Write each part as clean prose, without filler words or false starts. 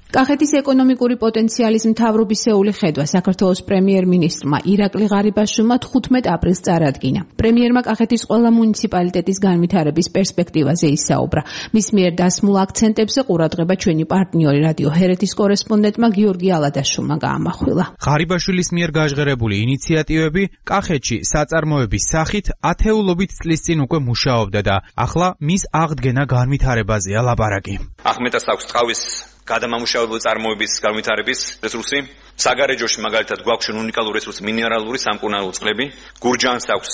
კახეთის ეკონომიკური პოტენციალის მთავრობისეული ხედვა საქართველოს პრემიერ-მინისტრმა ირაკლი ღარიბაშვილმა 15 აპრილს წარადგინა. პრემიერმა კახეთის ყველა მუნიციპალიტეტის განვითარების პერსპექტივაზე ისაუბრა. მის მიერ დასმულ აქცენტებზე ყურადღება ჩვენი პარტნიორი რადიო ჰერეთის კორესპონდენტმა გიორგი ალადაშვილმა გაამახვილა. ღარიბაშვილის მიერ გაჟღერებული ინიციატივები კახეთში საწარმოების სახით ათეულობით წლის წინ უკვე მუშაობდა და ახლა მის აღდგენა განვითარებაზეა ლაპარაკი. ახმეტას აქვს ტყავის გადამამუშავებელი წარმოების განვითარების რესურსი. საგარეჯოში მაგალითად გვაქვს უნიკალური რესურსი მინერალური სამკურნალო წყლები. გურჯაანს აქვს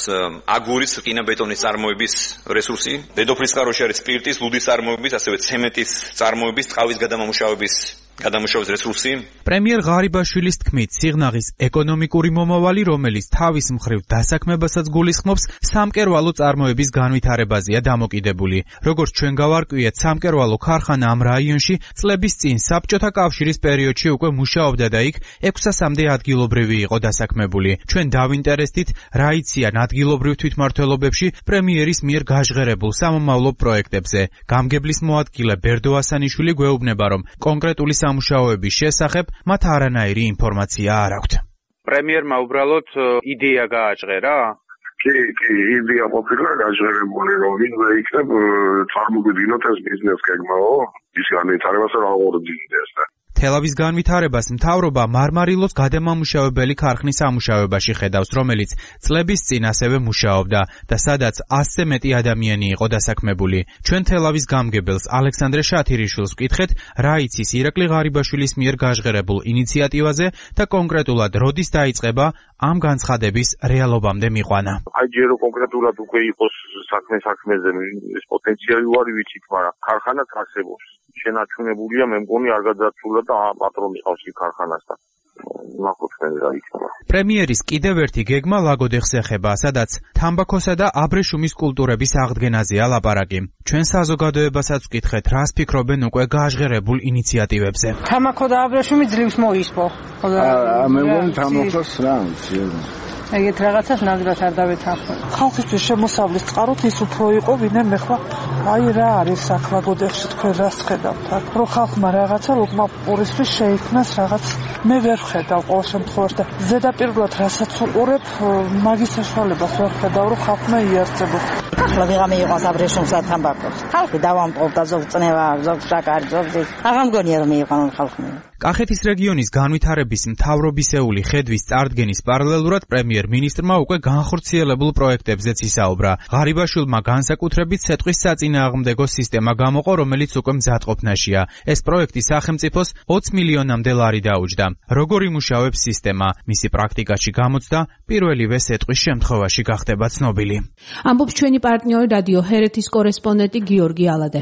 აგურის, რკინა-ბეტონის წარმოების რესურსი. დედოფლის წყაროში არის სპირტის, ლუდის წარმოების, ასევე ცემენტის წარმოების, ტყავის გადამამუშავების რესურსი. პრემიერ ღარიბაშვილის თქმით, სიღნაღის ეკონომიკური მომავალი, რომელიც თავის მხრივ დასაქმებასაც გულისხმობს, სამკერვალო წარმოების განვითარებაზეა დამოკიდებული. როგორც ჩვენ გავარკვიეთ, სამკერვალო ქარხანა ამ რაიონში წლების წინ საბჭოთა კავშირის პერიოდში უკვე მუშაობდა და იქ 600-მდე ადგილობრივი იყო დასაქმებული. ჩვენ დავინტერესდით, რა იციან ადგილობრივ თვითმმართველობებში პრემიერის მიერ გაჟღერებულ სამომავლო პროექტებზე. გამგებლის მოადგილე ბერდო ასანიშვილი გვეუბნება, რომ კონკრეტული სამუშაოების შესახებ მათ არანაირი ინფორმაცია არ აქვთ. პრემიერმა უბრალოდ იდეა გააჟღერა? კი, იდეა ყოფილა გაჟღერებული, რომ ვინმე იქნებ წარმოგიდგინოთ ეს ბიზნეს გეგმაო, ის განვითარებას არ აღორძინდეს და თელავის განვითარებას მთავრობა მარმარილოს გადამამუშავებელი ქარხნის ამუშავებაში ხედავს, რომელიც წლების წინ ასევე მუშაობდა და სადაც 100-ზე მეტი ადამიანი იყო დასაქმებული. ჩვენ თელავის გამგებელს ალექსანდრე შათირიშვილს ვკითხეთ, რა იცის ირაკლი ღარიბაშვილის მიერ გაჟღერებულ ინიციატივაზე და კონკრეტულად როდის დაიწყება ამ განცხადების რეალობამდე მიყვანა. აი ჯერ კონკრეტულად უკვე იყოს საქმეზე ეს პოტენციალი ვარი ვიცით, მაგრამ ქარხანაც არსებობს. შენარჩუნებულია, მე მგონი არ გადაცულა და პატრონი ყავს იქ ქარხანასთან. ნახოთ რა იქნება. პრემიერის კიდევ ერთი გეგმა ლაგოდეხს ეხება, სადაც თამბაქოსა და აბრეშუმის კულტურების აღდგენაზეა ლაპარაკი. ჩვენ საზოგადოებასაც ვკითხეთ, რას ფიქრობენ უკვე გაჟღერებულ ინიციატივებზე. თამბაქო და აბრეშუმი ძლივს მოისპო. მე მგონი თამბაქოს რა ვიცი. ეგეთ რაღაცას ნამდვილად არ დავეთანხმებ. ხალხისთვის შემოსავლის წყაროთ ის უფრო იყო, ვინმე მე ხვა აი რა არის აქ ლაგოდეხში თქვენ რას ხედავთ აქ? რომ ხალხმა რაღაცა ლუკმა პურისთვის შეიქმნას რაღაც მე ვერ ხედავ ყოველ შემთხვევაში და ზედაპირულად რასაც უყურებ მაგის საშუალებას ვერ ხედავ რომ ხალხმა იარსებოს. ახლა ვიღამე იყოს აბრეშუმს და თამბაქოს. ხალხი დავამტყობდა ზოგ წნევა, ზოგ შაკარი, ზოგ აღარ მგონია რომ მიიყვანონ ხალხმა. კახეთის რეგიონის განვითარების მთავრობისეული ხედვის წარდგენის პარალელურად პრემიერ-მინისტრმა უკვე განხორციელებულ პროექტებზეც ისაუბრა. ღარიბაშვილმა განსაკუთრებით სეტყვის საწინააღმდეგო სისტემა გამოყო, რომელიც უკვე მზადყოფნაშია. ეს პროექტი სახელმწიფოს 20 მილიონამდე ლარი დაუჯდა. როგორ იმუშავებს სისტემა? მისი პრაქტიკაში გამოცდა პირველივე სეტყვის შემთხვევაში გახდება ცნობილი. ამბობს ჩვენი პარტნიორი რადიო ჰერეთის კორესპონდენტი გიორგი ალადაშვილი.